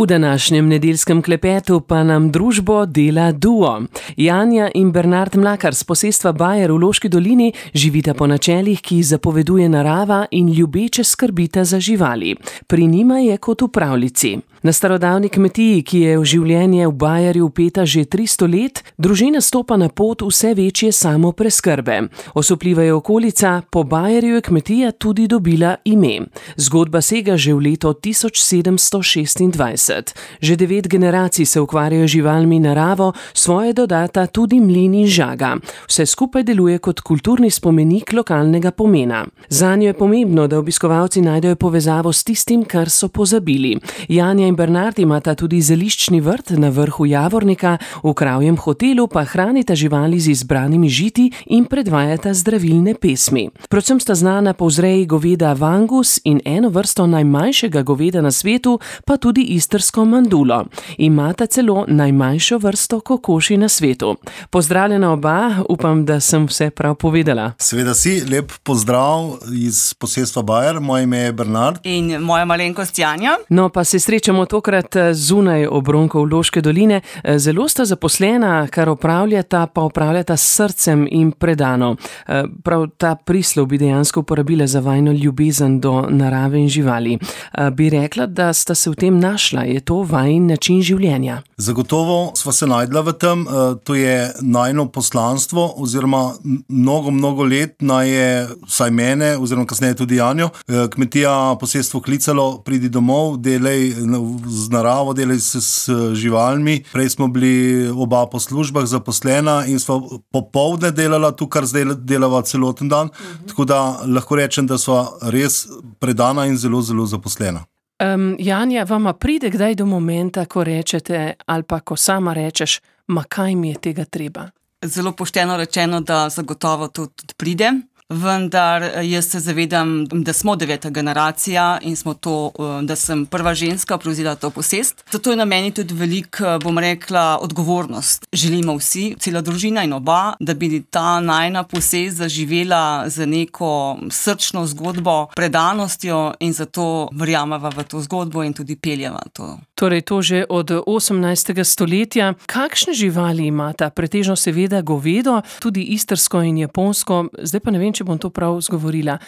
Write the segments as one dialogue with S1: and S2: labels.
S1: V današnjem nedeljskem klepetu pa nam družbo dela duo. Janja in Bernard Mlakar z posestva Bajer v Loški dolini živita po načelih, ki zapoveduje narava in ljubeče skrbita za živali. Pri njima je kot v pravljici. Na starodavni kmetiji, ki je v življenje v Bajerju vpeta že 300 let, družina stopa na pot vse večje samopreskrbe. Osupljiva je okolica, po Bajerju je kmetija tudi dobila ime. Zgodba sega že v leto 1726. Že 9 generacij se ukvarjajo živalmi in naravo, svoje dodata tudi mlin in žaga. Vse skupaj deluje kot kulturni spomenik lokalnega pomena. Zanjo je pomembno, da obiskovalci najdejo povezavo s tistim, kar so pozabili. Janja in Bernard imata tudi zeliščni vrt na vrhu Javornika, v kravjem hotelu pa hranita živali z izbranimi žiti in predvajata zdravilne pesmi. Predvsem sta znana po vzreji goveda Vangus in eno vrsto najmanjšega goveda na svetu, pa tudi istrsko mandulo. Imata celo najmanjšo vrsto kokoši na svetu. Pozdravljena oba, upam, da sem vse prav povedala.
S2: Seveda si, lep pozdrav iz posestva Bajer, moje ime je Bernard.
S3: In moja malenkost Janja.
S1: No, pa se srečamo tokrat zunaj obronkov Loške doline. Zelo sta zaposlena, kar opravljata s srcem in predano. Prav ta prislov bi dejansko uporabila za vajino ljubezen do narave in živali. Bi rekla, da sta se v tem našla? Je to vajin način življenja?
S2: Zagotovo sva se najdla v tem. To je najino poslanstvo, oziroma mnogo let je vsaj mene, oziroma kasneje tudi Janjo, kmetija posestvo klicalo, pridi domov, delaj z naravo, delaj se s živalmi. Prej smo bili oba po službah zaposlena in sva popoldne delala tu, kar zdaj delava celoten dan. Tako da lahko rečem, da sva res predana in zelo zaposlena.
S1: Janja, vama pride kdaj do momenta, ko rečete, ali pa ko sama rečeš, ma kaj mi je tega treba?
S3: Zelo pošteno rečeno, da zagotovo to tudi pride. Vendar jaz se zavedam, da smo 9. generacija in da sem prva ženska prevzela to posest. Zato je na meni tudi veliko, odgovornost. Želimo vsi, cela družina in oba, da bi ta najina posest zaživela z neko srčno zgodbo, predanostjo in zato verjameva v to zgodbo in tudi peljeva to.
S1: Torej to že od 18. stoletja. Kakšne živali imata? Pretežno seveda govedo, tudi istrsko in japonsko. Zdaj pa ne vem, če bom to prav zgovorila.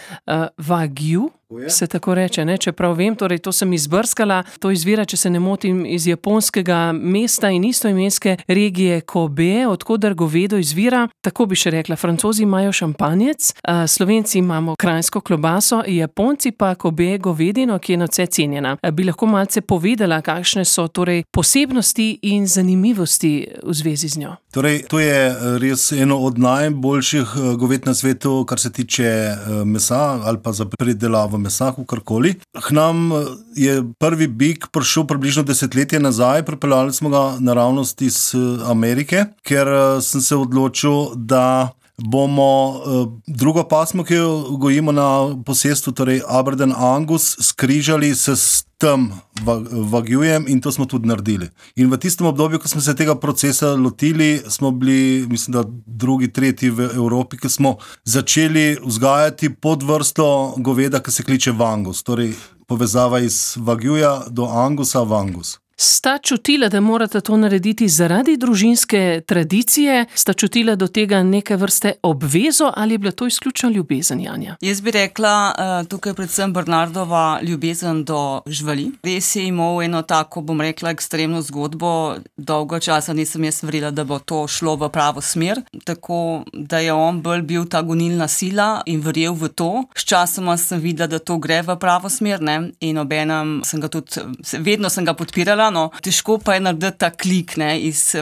S1: Wagyu se tako reče, ne? Čeprav vem, torej to sem izbrskala. To izvira, če se ne motim, iz japonskega mesta in istoimenske regije Kobe, odkoder govedo izvira. Tako bi še rekla, Francozi imajo šampanjec, Slovenci imamo kranjsko klobaso, Japonci pa Kobe govedino, ki je nadvse cenjena. Bi lahko malce povedala, kakšne so torej posebnosti in zanimivosti v zvezi z njo?
S2: Torej, to je res eno od najboljših goved na svetu, kar se tiče mesa ali pa za pridelavo mesa, kakorkoli. K nam je prvi bik prišel približno 10 let nazaj, pripeljali smo ga naravnost iz Amerike, ker sem se odločil, da bomo drugo pasmo, ki jo gojimo na posestvu, torej Aberdeen Angus, skrižali s tem Wagyujem in to smo tudi naredili. In v tistem obdobju, ko smo se tega procesa lotili, smo bili, mislim, da 2., 3. v Evropi, ki smo začeli vzgajati podvrsto goveda, ki se kliče Vangus. Torej povezava iz Wagyuja do Angusa, Vangus.
S1: Sta čutila, da morate to narediti zaradi družinske tradicije? Sta čutila do tega neke vrste obvezo ali je bila to izključno ljubezen, Janja?
S3: Jaz bi rekla, tukaj predvsem Bernardova ljubezen do živali. Res je imel eno tako, ekstremno zgodbo. Dolgo časa nisem jaz verjela, da bo to šlo v pravo smer. Tako, da je on bolj bil ta gonilna sila in verjel v to. Sčasoma sem videla, da to gre v pravo smer, ne? In obenem sem ga tudi, vedno sem ga podpirala. Težko pa je narediti ta klik, ne, iz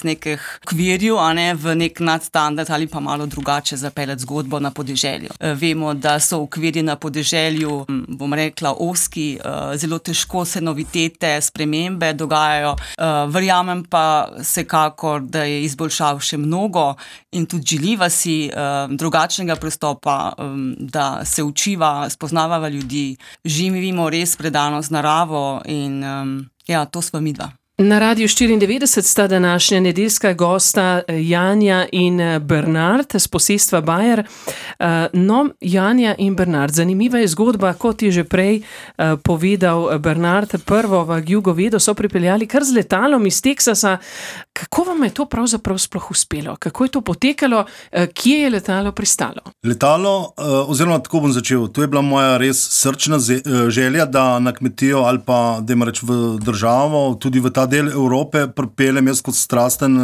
S3: nekih okvirjev, v nek nadstandard ali pa malo drugače zapeljati zgodbo na podeželju. Vemo, da so okvirji na podeželju, ozki, zelo težko se novitete, spremembe dogajajo. Verjamem pa vsekakor, da je izboljšav še mnogo in tudi želiva si drugačnega pristopa, da se učiva, spoznavava ljudi, živimo res predano z naravo in ja, to sva midva.
S1: Na Radiu 94 sta današnja nedeljska gosta Janja in Bernard z posestva Bajer. No, Janja in Bernard, zanimiva je zgodba, kot je že prej povedal Bernard, prvo Wagyu govedo so pripeljali kar z letalom iz Teksasa. Kako vam je to pravzaprav sploh uspelo? Kako je to potekalo? Kje je letalo pristalo?
S2: Letalo, oziroma tako bom začel, to je bila moja res srčna želja, da na kmetijo ali pa, da ima reč v državo, tudi v ta del Evrope pripeljem jaz kot strasten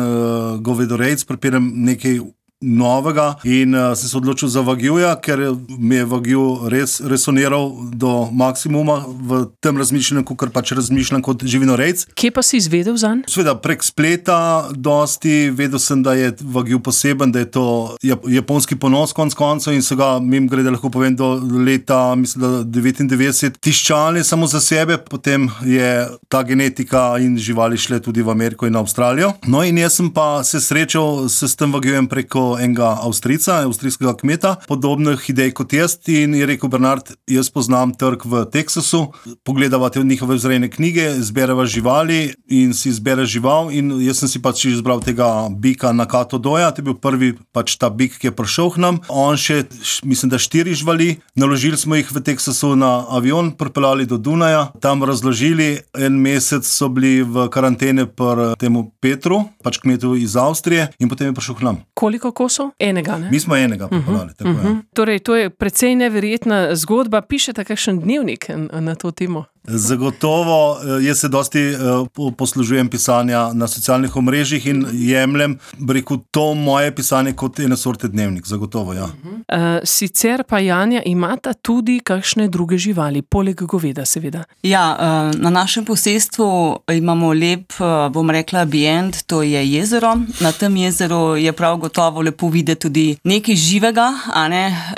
S2: govedorejc, pripeljem nekaj novega in sem se odločil za Wagyuja, ker mi je Wagyu res resoniral do maksimuma v tem razmišljanju, kot pač razmišljam kot živinorejc.
S1: Kje pa si izvedel zanj?
S2: Sveda prek spleta dosti, vedel sem, da je Wagyu poseben, da je to japonski ponos konc koncev in so ga, mimogrede lahko povem, do leta, mislim, da 99 tiščali samo za sebe, potem je ta genetika in živali šle tudi v Ameriko in Avstralijo. No in jaz sem pa se srečal s tem Wagyujem preko enega avstrijskega kmeta, podobnih idej kot jaz in je rekel: Bernard, jaz poznam trg v Teksasu, pogledava te njihove vzrejne knjige, zbereva živali in si izbere žival in jaz sem si pač izbral tega bika Nakato Doja, to je bil prvi pač ta bik, ki je prišel k nam. On še, mislim, da 4 živali, naložili smo jih v Teksasu na avion, pripeljali do Dunaja, tam razložili, en mesec so bili v karantene pri temu Petru, pač kmetu iz Avstrije in potem je prišel k nam.
S1: Koliko kosov? Enega, ne?
S2: Mi smo enega pripeljali, tako je.
S1: Torej, to je precej neverjetna zgodba. Pišete kakšen dnevnik na to temo?
S2: Zagotovo, jaz se dosti poslužujem pisanja na socialnih omrežjih in jemljem, rekel, to moje pisanje kot ene sorte dnevnik, zagotovo, ja.
S1: Sicer pa, Janja, imata tudi kakšne druge živali, poleg goveda, seveda.
S3: Ja, na našem posestvu imamo lep, bom rekla, ambient, to je jezero. Na tem jezeru je prav gotovo lepo videti tudi nekaj živega, a ne,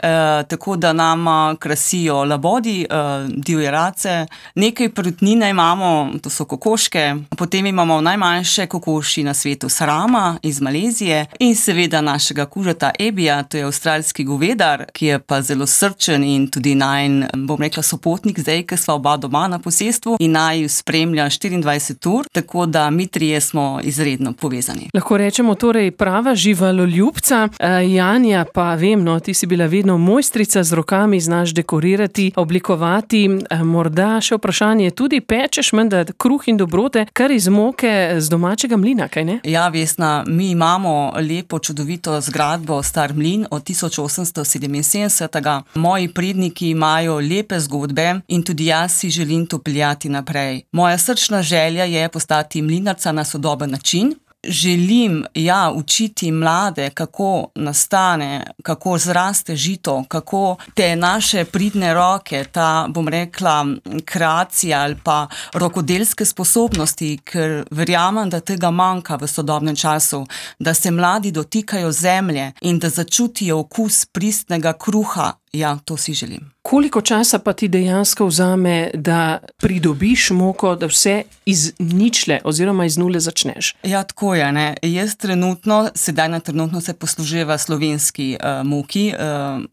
S3: tako da nama krasijo labodi, divje race. Nekaj perutnine imamo, to so kokoške, potem imamo najmanjše kokoši na svetu Sarama iz Malezije in seveda našega kužeta Ebija, to je avstralski govedar, ki je pa zelo srčen in tudi najin, bom rekla, sopotnik zdaj, ker sva oba doma na posestvu in naju spremlja 24 ur, tako da mi trije smo izredno povezani.
S1: Lahko rečemo torej prava živaloljubca. Janja, pa vem, no, ti si bila vedno mojstrica z rokami, znaš dekorirati, oblikovati, morda še vprašanje, tudi pečeš menda kruh in dobrote, kar iz moke z domačega mlina, kaj ne?
S3: Ja, Vesna, mi imamo lepo, čudovito zgradbo, star mlin od 1877. Moji predniki imajo lepe zgodbe in tudi jaz si želim to peljati naprej. Moja srčna želja je postati mlinarca na sodoben način. Želim, ja, učiti mlade, kako nastane, kako zraste žito, kako te naše pridne roke, ta, bom rekla, kreacija ali pa rokodelske sposobnosti, ker verjamem, da tega manjka v sodobnem času, da se mladi dotikajo zemlje in da začutijo okus pristnega kruha. Ja, to si želim.
S1: Koliko časa pa ti dejansko vzame, da pridobiš moko, da vse iz ničle oziroma iz nule začneš?
S3: Ja, tako je, ne. Jaz trenutno se posluževa slovenski moki,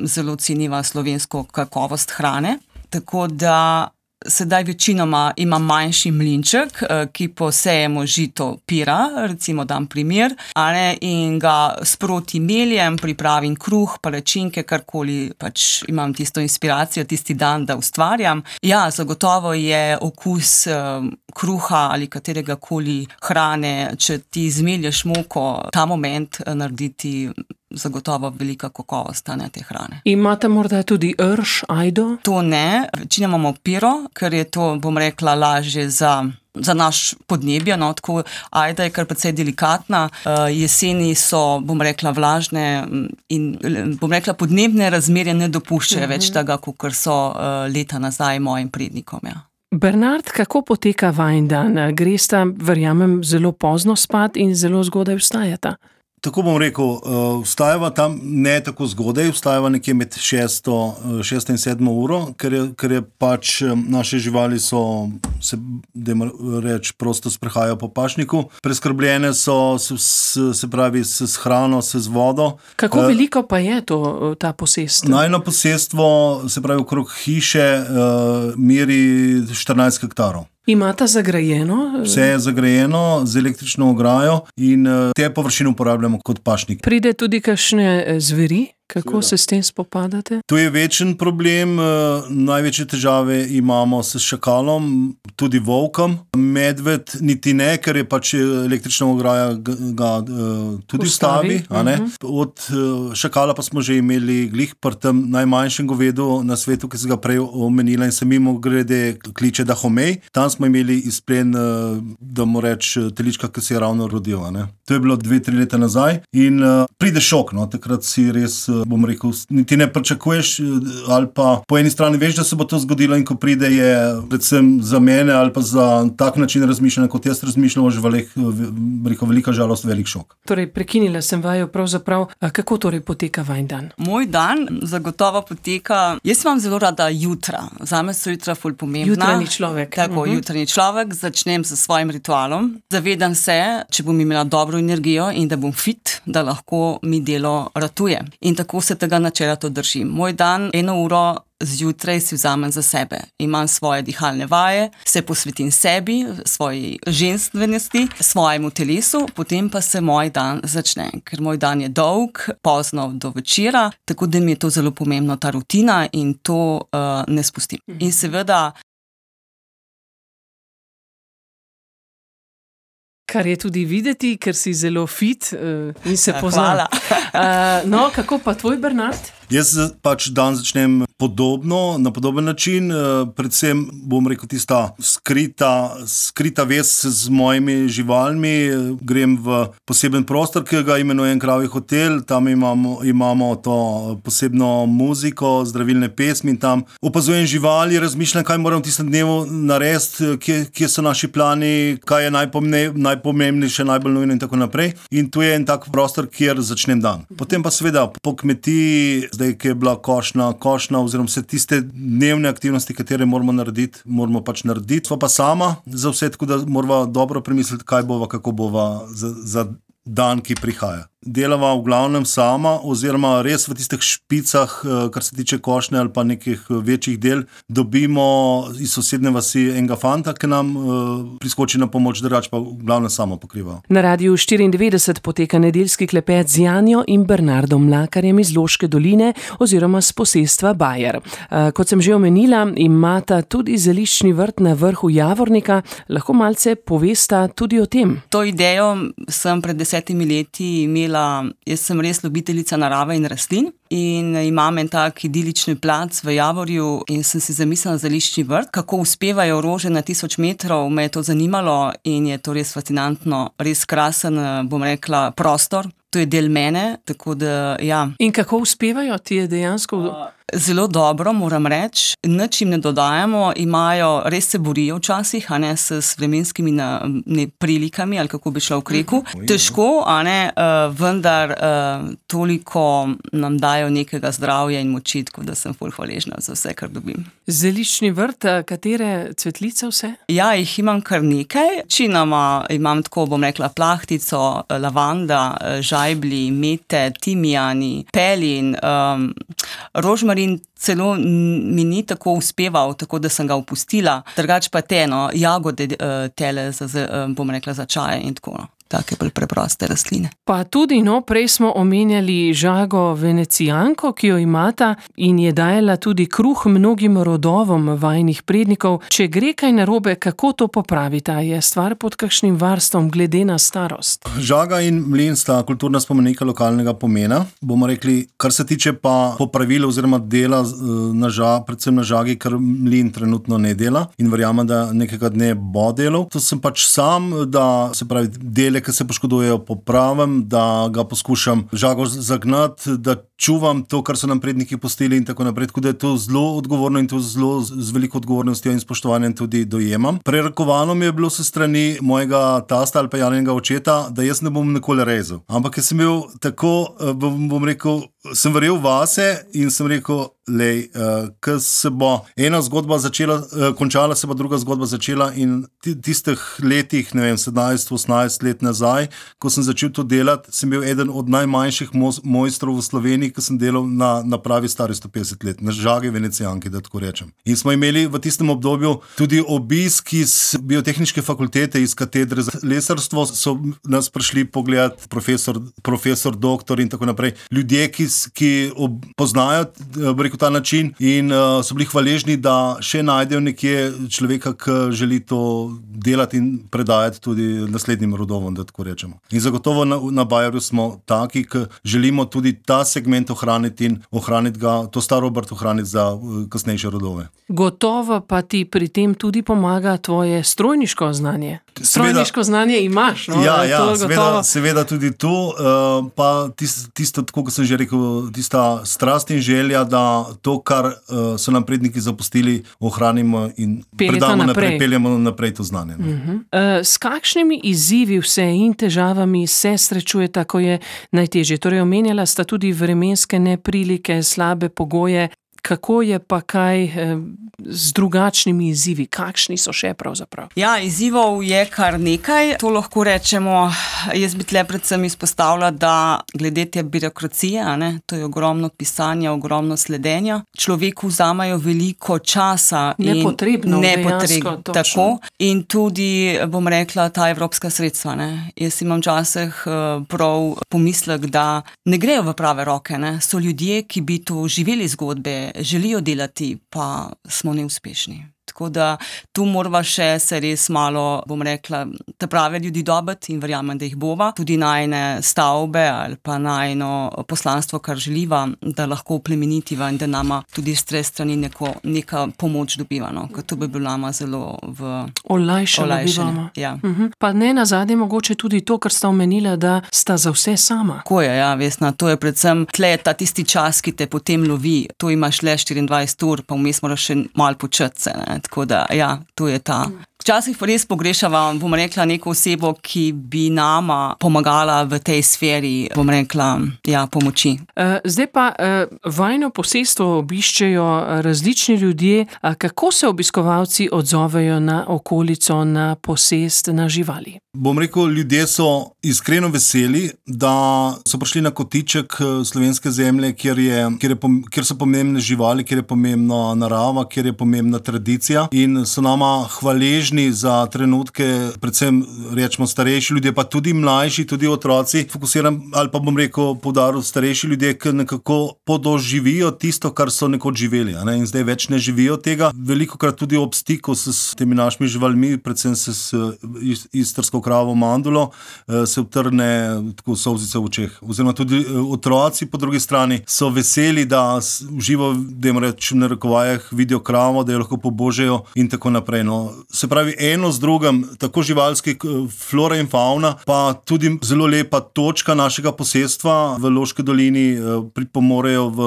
S3: zelo ceniva slovensko kakovost hrane, tako da sedaj večinoma imam manjši mlinček, ki posejemo žito pira, recimo dam primer, in ga sproti meljem, pripravim kruh, palačinke, karkoli, pač imam tisto inspiracijo tisti dan, da ustvarjam. Ja, zagotovo je okus kruha ali katerega koli hrane, če ti zmelješ moko, ta moment narediti zagotovo velika kakovost te hrane.
S1: Imate morda tudi rž, ajdo?
S3: To ne, večino imamo piro, ker je to, bom rekla, lažje za naš podnebje, no, tako ajda je kar precej delikatna, jeseni so, bom rekla, vlažne in, bom rekla, podnebne razmerje ne dopuščajo več tega, kakor so leta nazaj mojim prednikom, ja.
S1: Bernard, kako poteka vajin dan? Gresta, verjamem, zelo pozno spat in zelo zgodaj vstajata?
S2: Tako bom rekel, vstajava tam ne tako zgodaj, vstajava nekje med 6 in 7 uro, ker je pač naše živali se prosto sprehajajo po pašniku. Preskrbljene so, se pravi, s hrano, s vodo.
S1: Kako veliko pa je ta posestvo?
S2: Najno posestvo, se pravi, okrog hiše meri 14 hektarov.
S1: Imata zagrajeno?
S2: Vse je zagrajeno z električno ograjo in te površine uporabljamo kot pašnik.
S1: Pride tudi kakšne zveri? Kako se s tem spopadate?
S2: To je večen problem, največje težave imamo s šakalom, tudi volkom. Medved niti ne, ker je pač električna ograja ga tudi ustavi. Od šakala pa smo že imeli glih pri tem najmanjšem govedu na svetu, ki se ga prej omenila in se mimogrede kliče Dahomey. Tam smo imeli izplen, da mu reč, telička, ki se je ravno rodil. To je bilo 2-3 leta nazaj in pride šok, takrat si res, bom rekel, niti ne pričakuješ ali pa po eni strani veš, da se bo to zgodilo in ko pride je predvsem za mene ali pa za tak način razmišljanja, kot jaz razmišljam o živalih, rekel, velika žalost, velik šok.
S1: Torej, prekinila sem vaju pravzaprav. Kako torej poteka vajin dan?
S3: Moj dan zagotovo poteka, jaz imam zelo rada jutra. Zame so jutra ful pomembna.
S1: Jutranji človek.
S3: Tako, jutranji človek. Začnem s svojim ritualom. Zavedam se, če bom imela dobro energijo in da bom fit, da lahko mi delo ratuje. In tako se tega načela to držim. Moj dan 1 uro zjutraj si vzamem za sebe. Imam svoje dihalne vaje, se posvetim sebi, svoji ženstvenosti, svojemu telesu, potem pa se moj dan začne. Ker moj dan je dolg, pozno do večera, tako da mi je to zelo pomembno, ta rutina in to ne spustim. In seveda
S1: kar je tudi videti, ker si zelo fit in se pozna.
S3: Hvala.
S1: No, kako pa tvoj, Bernard?
S2: Jaz pač dan začnem podobno, na podoben način, predvsem bom rekel tista skrita vez z mojimi živalmi, grem v poseben prostor, ki ga imenujem Kravji hotel, tam imamo to posebno muziko, zdravilne pesmi in tam opazujem živali, razmišljam, kaj moram v tistem dnevu narediti, kje so naši plani, kaj je najpomembnejše, najbolj nujno in tako naprej. In tu je en tak prostor, kjer začnem dan. Potem pa seveda po kmetiji, zdaj, ki je bila košnja, oziroma vse tiste dnevne aktivnosti, katere moramo pač narediti. Sva pa sama za vse, tako da morava dobro premisliti, kaj bova, kako bova za dan, ki prihaja. Delava v glavnem sama, oziroma res v tistih špicah, kar se tiče košnje ali pa nekih večjih del, dobimo iz sosednje vasi enega fanta, ki nam priskoči na pomoč, drugače pa v glavnem sama pokriva.
S1: Na Radiu 94 poteka nedeljski klepet z Janjo in Bernardom Mlakarjem iz Loške doline oziroma z posestva Bajer. Kot sem že omenila, imata tudi zeliščni vrt na vrhu Javornika. Lahko malce povesta tudi o tem.
S3: To idejo sem pred 10 leti imela. Jaz sem res ljubiteljica narave in rastlin in imam en tak idilični plac v Javorju in sem si zamislila zeliščni vrt. Kako uspevajo rože na 1000 metrov, me je to zanimalo in je to res fascinantno, res krasen, bom rekla, prostor. To je del mene, tako da ja.
S1: In kako uspevajo? Ti je dejansko...
S3: Zelo dobro, moram reči. Nič jim ne dodajamo, res se borijo včasih, s vremenskimi prilikami, ali kako bi šla v kreku. Težko, vendar toliko nam dajo nekega zdravja in moči, tako da sem ful hvaležna za vse, kar dobim.
S1: Zeliščni vrt, katere cvetlice vse?
S3: Ja, jih imam kar nekaj. Večinoma imam tako, bom rekla, plahtico, lavanda, žajbli, mete, timijani, pelin, rožmarin. Celo mi ni tako uspeval, tako da sem ga opustila. Drugače pa jagode tele, bom rekla, za čaje in tako. Take preproste rastline.
S1: Pa tudi, prej smo omenjali žago venecijanko, ki jo imata in je dajala tudi kruh mnogim rodovom vajinih prednikov. Če gre kaj narobe, kako to popravita? Je stvar pod kakšnim varstvom glede na starost?
S2: Žaga in mlin sta kulturna spomenika lokalnega pomena. Bomo rekli, kar se tiče pa popravila oziroma dela predvsem na žagi, ker mlin trenutno ne dela in verjamem, da nekega dne bo delal. To sem pač sam, da se pravi dele, ki se poškodujejo, popravim, da ga poskušam žago zagnati, da čuvam to, kar so nam predniki pustili in tako naprej, tako da je to zelo odgovorno in to zelo z veliko odgovornostjo in spoštovanjem tudi dojemam. Prerekovano mi je bilo se strani mojega tasta ali pa Janjega očeta, da jaz ne bom nikoli rezal. Ampak jaz sem bil tako, bom rekel, sem verjel vase in sem rekel, ko se bo ena zgodba začela, končala, se bo druga zgodba začela in tistih letih, 17-18 let nazaj, ko sem začel to delati, sem bil eden od najmanjših mojstrov v Sloveniji, ki sem delal na pravi stari 150 let, na žagi Venecijanki, da tako rečem. In smo imeli v tistem obdobju tudi obisk iz biotehniške fakultete, iz katedre za lesarstvo, so nas prišli pogledati profesor, doktor in tako naprej. Ljudje, ki poznajo, rekel, ta način in so bili hvaležni, da še najdejo nekje človeka, ki želi to delati in predajati tudi naslednjim rodovom, da tako rečemo. In zagotovo na Bayerju smo taki, ki želimo tudi ta segment ohraniti in ohraniti ga, to staro obrt ohraniti za kasnejše rodove.
S1: Gotovo pa ti pri tem tudi pomaga tvoje strojniško znanje. Strojniško znanje imaš, no?
S2: Seveda tudi to, pa tisto, tako kot sem že rekel, tista strast in želja, da to, kar so nam predniki zapustili, ohranimo in predamo naprej, peljemo naprej to znanje.
S1: S kakšnimi izzivi vse in težavami se srečujeta, ko je najtežje? Torej, omenjala sta tudi vremenske neprilike, slabe pogoje. Kako je pa kaj z drugačnimi izzivi? Kakšni so še pravzaprav?
S3: Ja, izzivov je kar nekaj. To lahko rečemo, jaz bi tle predvsem izpostavila, da glede te birokracije, to je ogromno pisanja, ogromno sledenja. Človeku vzamajo veliko časa.
S1: Nepotrebno,
S3: tako. In tudi, bom rekla, ta evropska sredstva. Jaz imam včasih prav pomislek, da ne grejo v prave roke. So ljudje, ki bi to živeli zgodbe, želijo delati, pa smo neuspešni. Tako da tu morava še se res malo, bom rekla, te prave ljudi dobiti in verjamem, da jih bova. Tudi najne stavbe ali pa najno poslanstvo, kar želiva, da lahko plemenitivo in da nama tudi s tre strani neka pomoč dobiva. Ker to bi bilo nama zelo
S1: olajšano.
S3: Ja.
S1: Pa ne nazadnje mogoče tudi to, kar sta omenila, da sta za vse sama.
S3: Tako je, ja, Vesna, to je predvsem tle ta tisti čas, ki te potem lovi. To imaš le 24 ur, pa vmes moraš še malo početi se, Tako da, ja, to je ta. Včasih pa res pogrešava, bom rekla, neko osebo, ki bi nama pomagala v tej sferi, bom rekla, pomoči.
S1: Zdaj pa vajno posestvo obiščejo različni ljudje. Kako se obiskovalci odzovejo na okolico, na posest, na živali?
S2: Bom rekel, ljudje so iskreno veseli, da so prišli na kotiček slovenske zemlje, kjer so pomembne živali, kjer je pomembna narava, kjer je pomembna tradicija in so nama hvaležni za trenutke, predvsem rečemo starejši ljudje, pa tudi mlajši, tudi otroci. Fokusiram, ali pa bom rekel, poudaril starejši ljudje, ki nekako podoživijo tisto, kar so nekoč živeli, in zdaj več ne živijo tega. Velikokrat tudi ob stiku s temi našimi živalmi, predvsem s istrsko kravo Mandulo, se utrne tako solzice v očeh. Oziroma tudi otroci po drugi strani so veseli, da živo, da jim rečem na narekovajih, vidijo kravo, da jo lahko pobožajo in tako naprej. Se pravi, eno z drugim, tako živalski flora in fauna, pa tudi zelo lepa točka našega posestva v Loški dolini pripomorejo v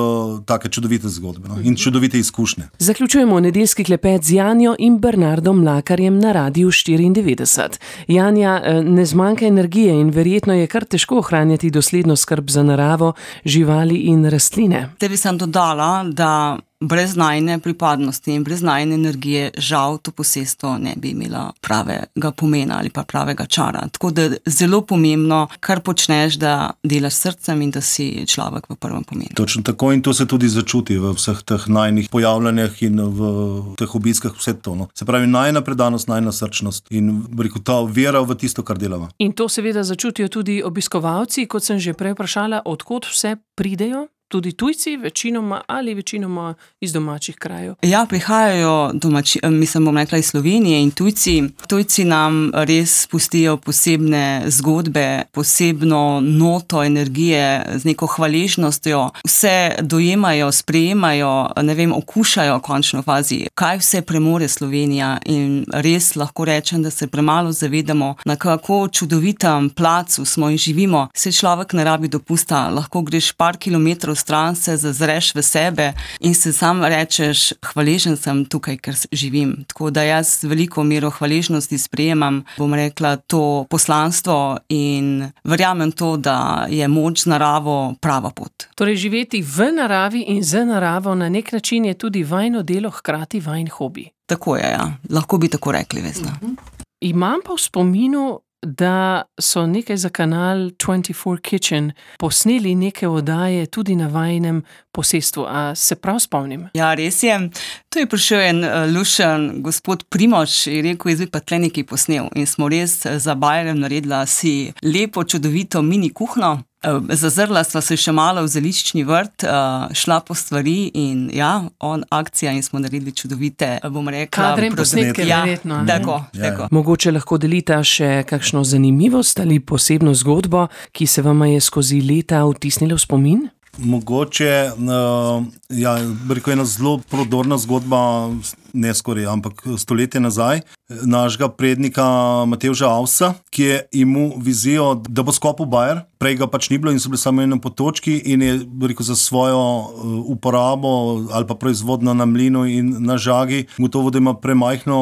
S2: take čudovite zgodbe in čudovite izkušnje.
S1: Zaključujemo nedeljski klepet z Janjo in Bernardom Mlakarjem na Radiu 94. Janja, ne zmanjka energije in verjetno je kar težko ohranjati dosledno skrb za naravo, živali in rastline.
S3: Te bi sem dodala, da brez najne pripadnosti in brez najne energije žal to posestvo ne bi imela pravega pomena ali pa pravega čara. Tako da zelo pomembno, kar počneš, da delaš srcem in da si človek v prvem pomenu.
S2: Točno tako in to se tudi začuti v vseh teh najnih pojavljanjih in v teh obiskah vse to. Se pravi, najna predanost, najna srčnost in ta vera v tisto, kar delava.
S1: In to seveda začutijo tudi obiskovalci, kot sem že prej vprašala, odkot vse pridejo? Tudi tujci, večinoma iz domačih krajev?
S3: Ja, prihajajo bom rekla iz Slovenije in tujci nam res pustijo posebne zgodbe, posebno noto energije z neko hvaležnostjo. Vse dojemajo, sprejemajo, okušajo v končno fazi, kaj vse premore Slovenija in res lahko rečem, da se premalo zavedamo, na kako čudovitem placu smo in živimo. Se človek ne rabi dopusta, lahko greš par kilometrov stran, se zazreš v sebe in se sam rečeš, hvaležen sem tukaj, ker živim. Tako da jaz veliko mero hvaležnosti sprejemam, bom rekla, to poslanstvo in verjamem to, da je moč z naravo prava pot.
S1: Torej, živeti v naravi in z naravo na nek način je tudi vajno delo, hkrati vajn hobi.
S3: Tako je, ja. Lahko bi tako rekli, Vesna.
S1: Imam pa v spominu, da so nekaj za kanal 24 Kitchen posneli neke oddaje tudi na vajinem posestvu. A se prav spomnim?
S3: Ja, res je. To je prišel en lušen gospod Primož in rekel, jaz bi pa tle nekaj posnel. In smo res za Bayerjem naredila si lepo, čudovito mini kuhno. Zazrla sva se še malo v zeliščni vrt, šla po stvari in ja, akcija in smo naredili čudovite, bom rekla,
S1: kadre in posnetke, verjetno.
S3: Tako.
S1: Mogoče lahko delita še kakšno zanimivost ali posebno zgodbo, ki se vama je skozi leta vtisnila v spomin?
S2: Mogoče, rekel ena zelo prodorna zgodba, ne skoraj, ampak stoletje nazaj, našega prednika Matevža Avsa, ki je imel vizijo, da bo skopil Bayer, prej ga pač ni bilo in so bili samo eno potočki in je, rekel, za svojo uporabo ali pa proizvodno na mlinu in na žagi, gotovo, da ima premajhno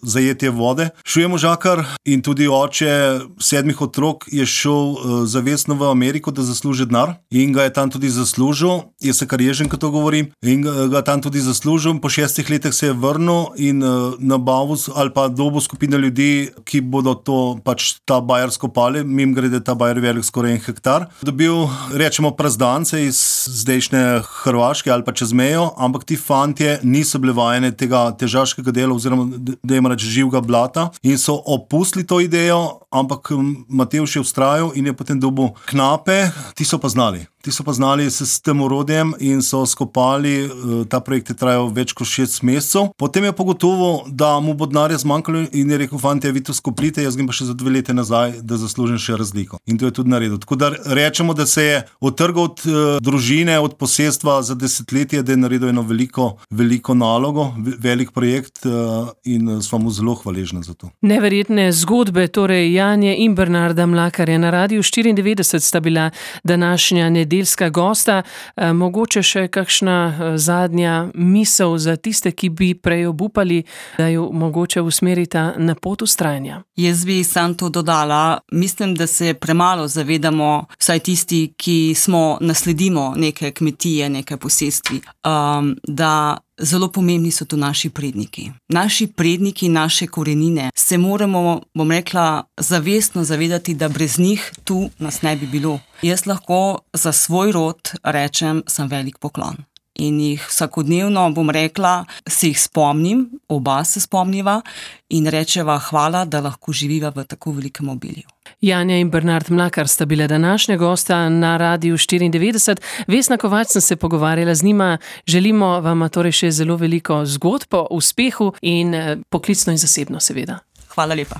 S2: zajetje vode. Šel je možakar in tudi oče 7 otrok je šel zavestno v Ameriko, da zasluži denar in ga je tam tudi zaslužil, je se kar ježen, ko to govorim, in ga tam tudi zaslužil. Po 6 letih se je vrnil in nabavil ali pa dobil skupino ljudi, ki bodo to pač ta Bayer skopali, mimogrede ta Bayer velik skoraj 1 hektar. Dobil, rečemo, prazdance iz zdajšnje Hrvaške ali pa čez mejo, ampak ti fantje niso bili vajeni tega težaškega dela oziroma da jim reči živega blata in so opustili to idejo, ampak Matevž je vztrajal in je potem dobil knape, ti so pa znali se s tem orodjem in so skopali, ta projekt je trajal več kot 6 mesecev. Potem je pogotovo, da mu bo denarja zmanjkalo in je rekel, fantje, vi to skoplite, jaz grem pa še za 2 leta nazaj, da zaslužim še razliko. In to je tudi naredil. Tako da rečemo, da se je odtrgal od družine, od posestva za desetletje, da je naredil eno veliko nalogo, velik projekt in smo mu zelo hvaležni za to.
S1: Neverjetne zgodbe, torej Janje in Bernarda Mlakarja na Radiu 94 sta bila današnja nedeljska gosta. Mogoče še kakšna zadnja misel za tiste, ki bi prej obupali, da jo mogoče usmerita na pot vztrajanja? Jaz
S3: bi sam to dodala. Mislim, da se premalo zavedamo, vsaj tisti, ki nasledimo neke kmetije, neke posestvi, da zelo pomembni so tu naši predniki. Naši predniki, naše korenine. Se moramo, bom rekla, zavestno zavedati, da brez njih tu nas ne bi bilo. Jaz lahko za svoj rod rečem, sem velik poklon. In jih vsakodnevno, bom rekla, se jih spomnim, oba se spomniva in rečeva hvala, da lahko živiva v tako velikem obilju. Janja in Bernard Mlakar sta bila današnja gosta na Radiu 94. Vesna Kovač sem se pogovarjala z njima. Želimo vam torej še zelo veliko zgodb o uspehu in poklicno in zasebno seveda. Hvala lepa.